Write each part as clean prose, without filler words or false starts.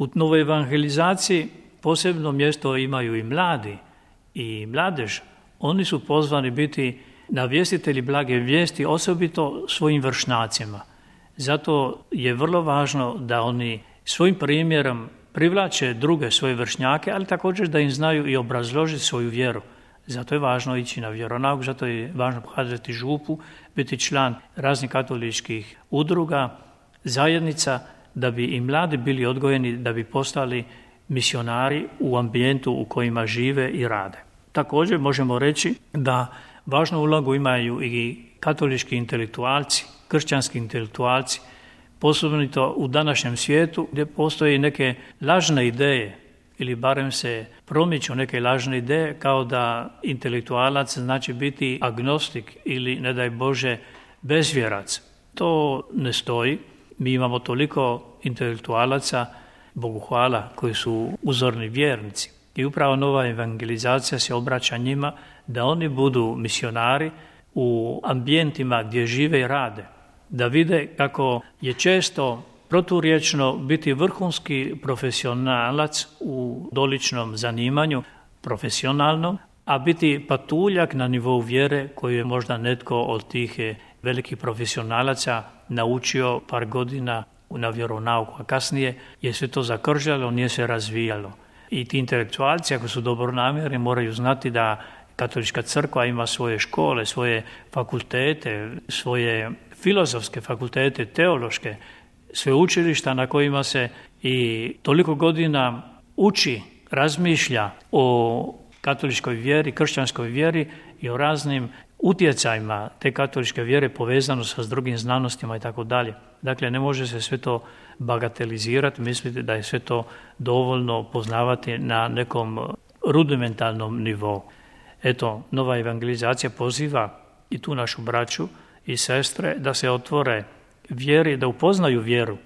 U novoj evangelizaciji posebno mjesto imaju i mladi i mladež. Oni su pozvani biti navjestitelji blage vijesti, osobito svojim vršnjacima. Zato je vrlo važno da oni svojim primjerom privlače druge svoje vršnjake, ali također da im znaju i obrazložiti svoju vjeru. Zato je važno ići na vjeronauk, zato je važno pohađati župu, biti član raznih katoličkih udruga, zajednica, da bi i mladi bili odgojeni, da bi postali misionari u ambijentu u kojima žive i rade. Također možemo reći da važnu ulogu imaju i katolički intelektualci, kršćanski intelektualci, posebno u današnjem svijetu gdje postoje neke lažne ideje ili barem se promiču neke lažne ideje kao da intelektualac znači biti agnostik ili ne daj Bože bezvjerac. To ne stoji. Mi imamo toliko intelektualaca, Bogu hvala, koji su uzorni vjernici. I upravo nova evangelizacija se obraća njima da oni budu misionari u ambijentima gdje žive i rade. Da vide kako je često proturječno biti vrhunski profesionalac u doličnom zanimanju, profesionalnom, a biti patuljak na nivou vjere koju je možda netko od tih velikih profesionalaca naučio par godina na vjeronauku, a kasnije je sve to zakržalo, nije se razvijalo. I ti intelektualci, ako su dobronamjerni, moraju znati da Katolička crkva ima svoje škole, svoje fakultete, svoje filozofske fakultete, teološke, sveučilišta na kojima se i toliko godina uči, razmišlja o katoličkoj vjeri, kršćanskoj vjeri i o raznim utjecajima te katoličke vjere povezano sa drugim znanostima i tako dalje. Dakle, ne može se sve to bagatelizirati, misliti da je sve to dovoljno poznavati na nekom rudimentalnom nivou. Eto, nova evangelizacija poziva i tu našu braću i sestre da se otvore vjeri, da upoznaju vjeru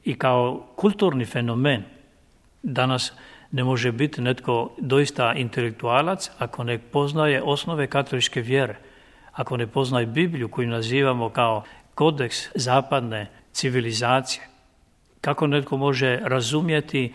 i kao kulturni fenomen. Danas ne može biti netko doista intelektualac ako ne poznaje osnove katoličke vjere, ako ne poznaje Bibliju koju nazivamo kao kodeks zapadne civilizacije. Kako netko može razumjeti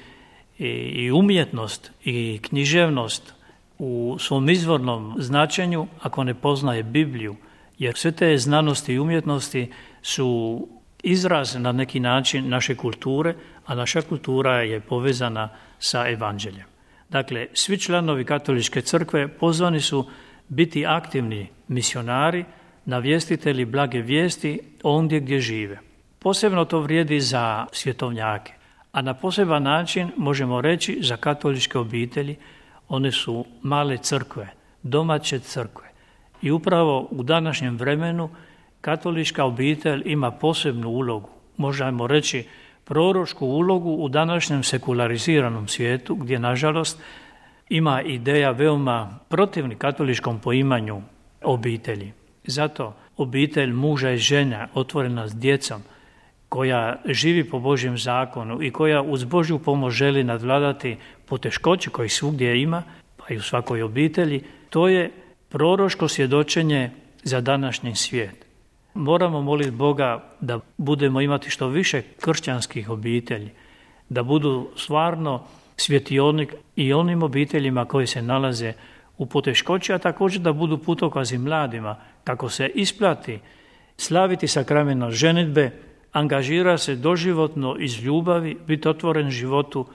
i umjetnost i književnost u svom izvornom značenju ako ne poznaje Bibliju, jer sve te znanosti i umjetnosti su izraz na neki način naše kulture, a naša kultura je povezana sa evanđeljem. Dakle, svi članovi Katoličke crkve pozvani su biti aktivni misionari, navjestitelji blage vijesti ondje gdje žive. Posebno to vrijedi za svjetovnjake, a na poseban način možemo reći za katoličke obitelji. One su male crkve, domaće crkve. I upravo u današnjem vremenu katolička obitelj ima posebnu ulogu, možemo reći proročku ulogu u današnjem sekulariziranom svijetu, gdje nažalost ima ideja veoma protivni katoličkom poimanju obitelji. Zato obitelj muža i žena otvorena s djecom, koja živi po Božjem zakonu i koja uz Božju pomoć želi nadvladati poteškoće kojih svugdje ima, pa i u svakoj obitelji, to je proročko svjedočenje za današnji svijet. Moramo moliti Boga da budemo imati što više kršćanskih obitelji, da budu stvarno svjetionik i onim obiteljima koji se nalaze u poteškoći, a također da budu putokazi mladima, kako se isplati slaviti sakrament ženidbe, angažira se doživotno iz ljubavi, biti otvoren životu,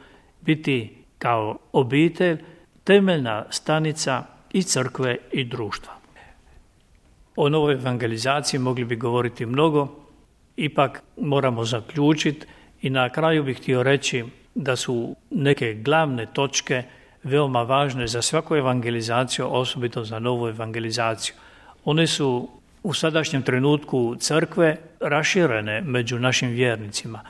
biti kao obitelj, temeljna stanica i crkve i društva. O novoj evangelizaciji mogli bi govoriti mnogo, ipak moramo zaključiti i na kraju bih htio reći da su neke glavne točke veoma važne za svaku evangelizaciju, osobito za novu evangelizaciju. One su u sadašnjem trenutku crkve raširene među našim vjernicima,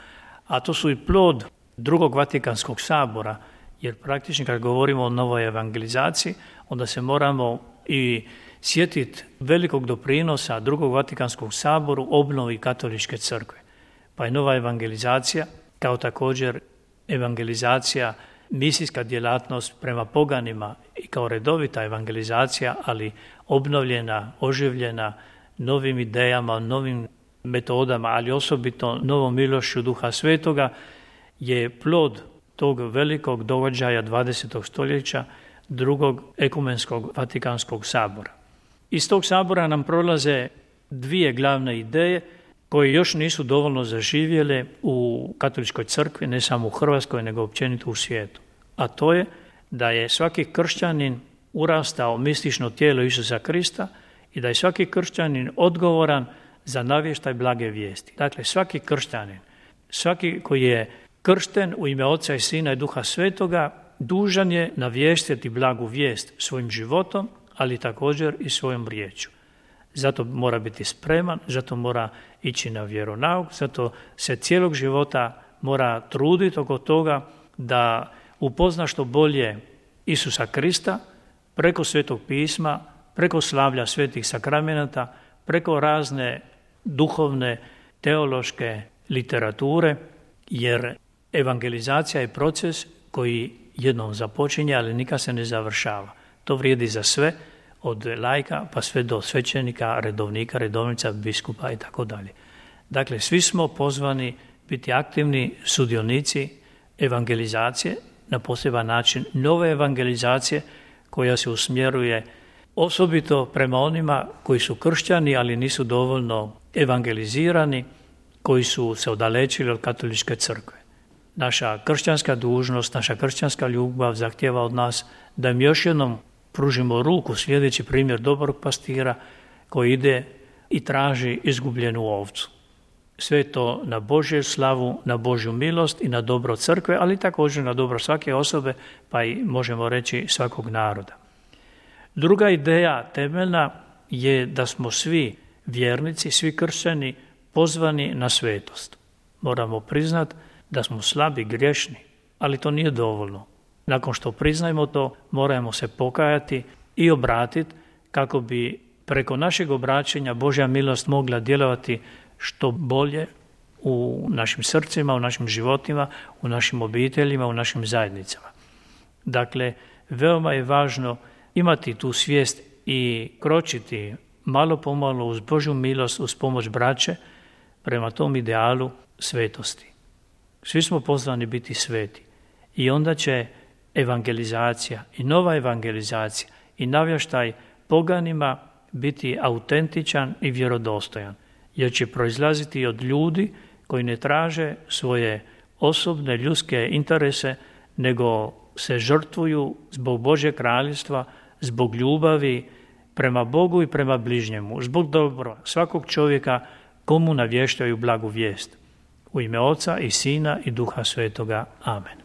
a to su i plod drugog Vatikanskog sabora, jer praktično kad govorimo o novoj evangelizaciji, onda se moramo i sjetiti velikog doprinosa drugog Vatikanskog saboru obnovi katoličke crkve. Pa je nova evangelizacija, kao također evangelizacija, misijska djelatnost prema poganima i kao redovita evangelizacija, ali obnovljena, oživljena novim idejama, novim metodama, ali osobito novom milošću Duha Svetoga, je plod tog velikog događaja 20. stoljeća, drugog ekumenskog Vatikanskog sabora. Iz tog sabora nam prolaze dvije glavne ideje koje još nisu dovoljno zaživjele u katoličkoj crkvi, ne samo u Hrvatskoj, nego općenito u svijetu. A to je da je svaki kršćanin urastao mistično tijelo Isusa Krista i da je svaki kršćanin odgovoran za navještaj blage vijesti. Dakle, svaki kršćanin, svaki koji je kršten u ime Oca i Sina i Duha Svetoga, dužan je navještiti blagu vijest svojim životom, ali također i svojom riječju. Zato mora biti spreman, zato mora ići na vjeronauk, zato se cijelog života mora truditi oko toga da upozna što bolje Isusa Krista preko Svetog pisma, preko slavlja svetih sakramenata, preko razne duhovne, teološke literature, jer evangelizacija je proces koji jednom započinje, ali nikad se ne završava. To vrijedi za sve, od laika pa sve do svećenika, redovnika, redovnica, biskupa i tako dalje. Dakle, svi smo pozvani biti aktivni sudionici evangelizacije, na poseban način nove evangelizacije koja se usmjeruje osobito prema onima koji su kršćani, ali nisu dovoljno evangelizirani, koji su se odalečili od katoličke crkve. Naša kršćanska dužnost, naša kršćanska ljubav zahtijeva od nas da im još jednom pružimo ruku, sljedeći primjer dobrog pastira koji ide i traži izgubljenu ovcu. Sve to na Božju slavu, na Božju milost i na dobro crkve, ali također na dobro svake osobe, pa i možemo reći svakog naroda. Druga ideja temeljna je da smo svi vjernici, svi kršćani pozvani na svetost. Moramo priznati da smo slabi, grešni, ali to nije dovoljno. Nakon što priznajemo to, moramo se pokajati i obratiti kako bi preko našeg obraćanja Božja milost mogla djelovati što bolje u našim srcima, u našim životima, u našim obiteljima, u našim zajednicama. Dakle, veoma je važno imati tu svijest i kročiti malo po malo uz Božju milost, uz pomoć braće, prema tom idealu svetosti. Svi smo pozvani biti sveti i onda će evangelizacija i nova evangelizacija i navještaj poganima biti autentičan i vjerodostojan, jer će proizlaziti od ljudi koji ne traže svoje osobne ljudske interese, nego se žrtvuju zbog Božjeg kraljevstva, zbog ljubavi prema Bogu i prema bližnjemu, zbog dobra svakog čovjeka komu navještaju blagu vijest. U ime Oca i Sina i Duha Svetoga. Amen.